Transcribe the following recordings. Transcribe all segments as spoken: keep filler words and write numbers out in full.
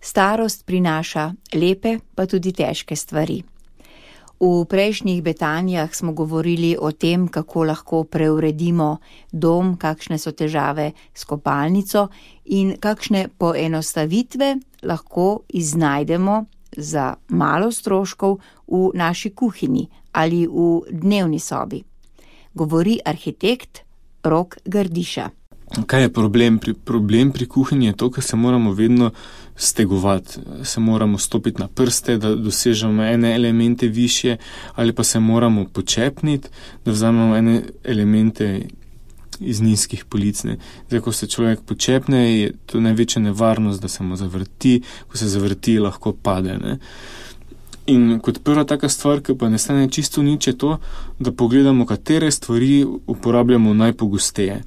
Starost prinaša lepe, pa tudi težke stvari. V prejšnjih betanjah smo govorili o tem, kako lahko preuredimo dom, kakšne so težave s kopalnico in kakšne poenostavitve lahko iznajdemo za malo stroškov v naši kuhinji ali v dnevni sobi. Govori arhitekt Rok Grdiša. Kaj je problem? Pri, problem pri kuhinji je to, ker se moramo vedno stegovati, se moramo stopiti na prste, da dosežemo ene elemente višje, ali pa se moramo počepniti, da vzamemo ene elemente iz nizkih polic. Ne. Zdaj, ko se človek počepne, je to največja nevarnost, da se mu zavrti, ko se zavrti, lahko pade. Ne. In kot prva taka stvar, ki pa ne stane čisto nič, je to, da pogledamo, katere stvari uporabljamo najpogosteje.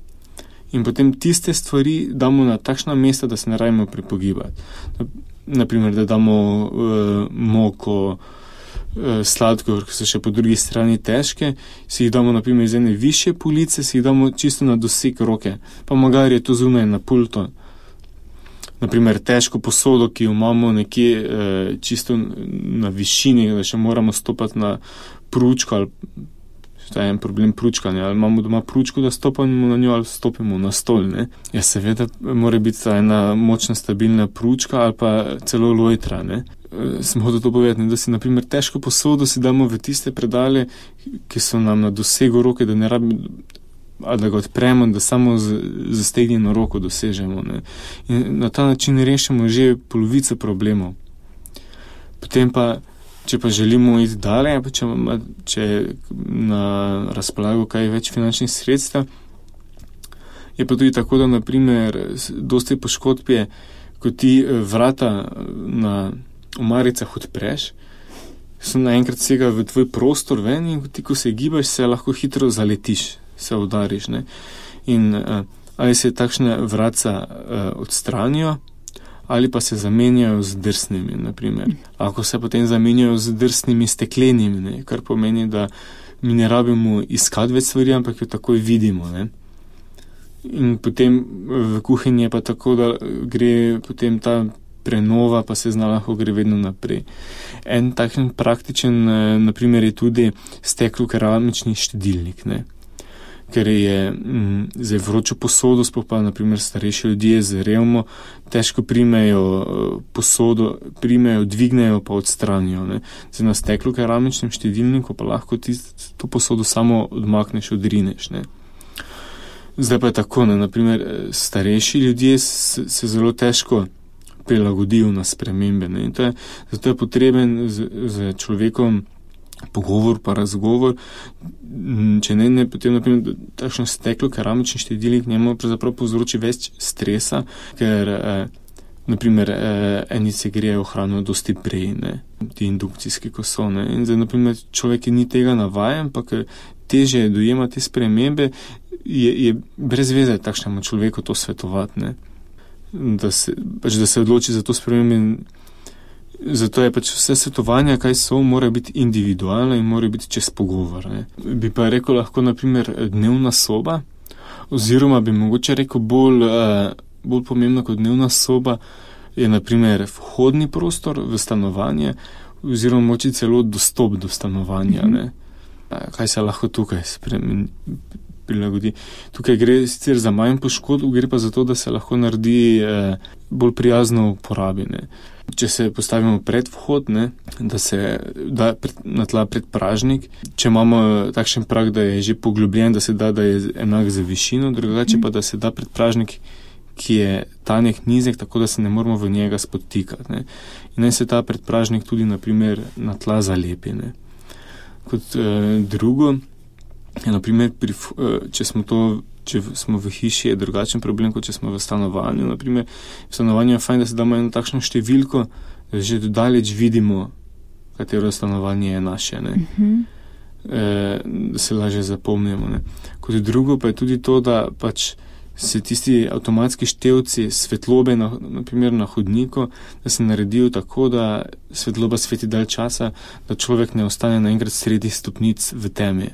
In potem tiste stvari damo na takšna mesta, da se ne rabimo prepogibati. Naprimer, da damo uh, moko, uh, sladkor, ki so še po drugi strani težke, si jih damo naprimer iz ene višje police, si jih damo čisto na doseg roke. Pa magari je to zunaj na pulto. Naprimer, težko posodo, ki jo imamo nekje uh, čisto na višini, da še moramo stopati na pručko ali to je en problem pručkanja, ali imamo doma pručko, da stopamo na njo ali stopimo na stol, ne. Ja, seveda mora biti ta ena močna, stabilna pručka ali pa celo lojtra, ne. E, sem hotel to povedati, da si naprimer težko posodo si damo v tiste predale, ki so nam na dosegu roke, da ne rabi, ali da ga odpremo, da samo z zastegnjeno roko dosežemo, ne. In na ta način rešimo že polovico problemov. Potem pa če pa želimo iti dalje, pa če, če na razpolago kaj več finančnih sredstev, je pa tudi tako, da naprimer dosti poškodb je, ko ti vrata na omaricah odpreš, so naenkrat sega v tvoj prostor ven in ti, ko se gibaš, se lahko hitro zaletiš, se udariš, ne. In ali se takšne vratca odstranijo, ali pa se zamenjajo z drsnimi, naprimer. Lahko se potem zamenjajo z drsnimi steklenimi, ne? Kar pomeni, da mi ne rabimo iskati več stvari, ampak jo takoj vidimo, ne? In potem v kuhinji je pa tako, da gre potem ta prenova, pa se zna lahko gre vedno naprej. En takšen praktičen, naprimer, je tudi steklo-keramični štedilnik, ne? Ker je m, za vročo posodo, sploh pa naprimer starejši ljudje z revmo, težko primejo posodo, primejo, dvignejo pa odstranijo. Ne. Zdaj na steklu keramičnem štedilniku pa lahko ti to posodo samo odmakneš, odrineš. Ne. Zdaj pa je tako, ne, naprimer starejši ljudje se, se zelo težko prilagodijo na spremembe. Ne. In to je, zato je potreben z, z človekom pogovor pa razgovor, če ne, ne potem naprimer takšno steklo keramični štedilnik njemu pravzaprav povzroči več stresa, ker eh, naprimer eh, eni se grejejo hrano dosti prej, ne, ti indukcijski kosone. In zdaj naprimer človek, ki ni tega navajen, pa ker teže dojema te spremembe, je, je brez veze takšnemu človeku to svetovati, ne. Da se, pač, da se odloči za to spremembe. Zato je pač vse svetovanja, kaj so, mora biti individualno in mora biti čez pogovor. Ne. Bi pa rekel lahko naprimer dnevna soba, oziroma bi mogoče rekel bolj, bolj pomembno kot dnevna soba je naprimer vhodni prostor v stanovanje, oziroma mogoče celo dostop do stanovanja. Ne. Kaj se lahko tukaj spremeni, prilagodi. Tukaj gre sicer za manj poškodb, gre pa za to, da se lahko naredi bolj prijazno uporabi. Ne. Če se postavimo pred vhod, ne, da se da pred, na tla predpražnik, če imamo takšen prag, da je že poglobljen, da se da, da je enak za višino, drugače pa, da se da predpražnik, ki je tanek, nizek, tako da se ne moramo v njega spotikati. Ne. In naj se ta predpražnik tudi, naprimer, na tla zalepi. Ne. Kot eh, drugo, je naprimer, pri, če smo to če smo v hiši, je drugačen problem, kot če smo v stanovanju. Naprimer, v stanovanju je fajn, da se damo eno takšno številko, da že dodaleč vidimo, katero stanovanje je naše, ne. Uh-huh. E, da se lažje zapomnimo, ne. Kot drugo pa je tudi to, da pač se tisti avtomatski števci svetlobe, na, naprimer na hodniku, da se naredijo tako, da svetloba sveti dalj časa, da človek ne ostane naenkrat sredi stopnic v temi.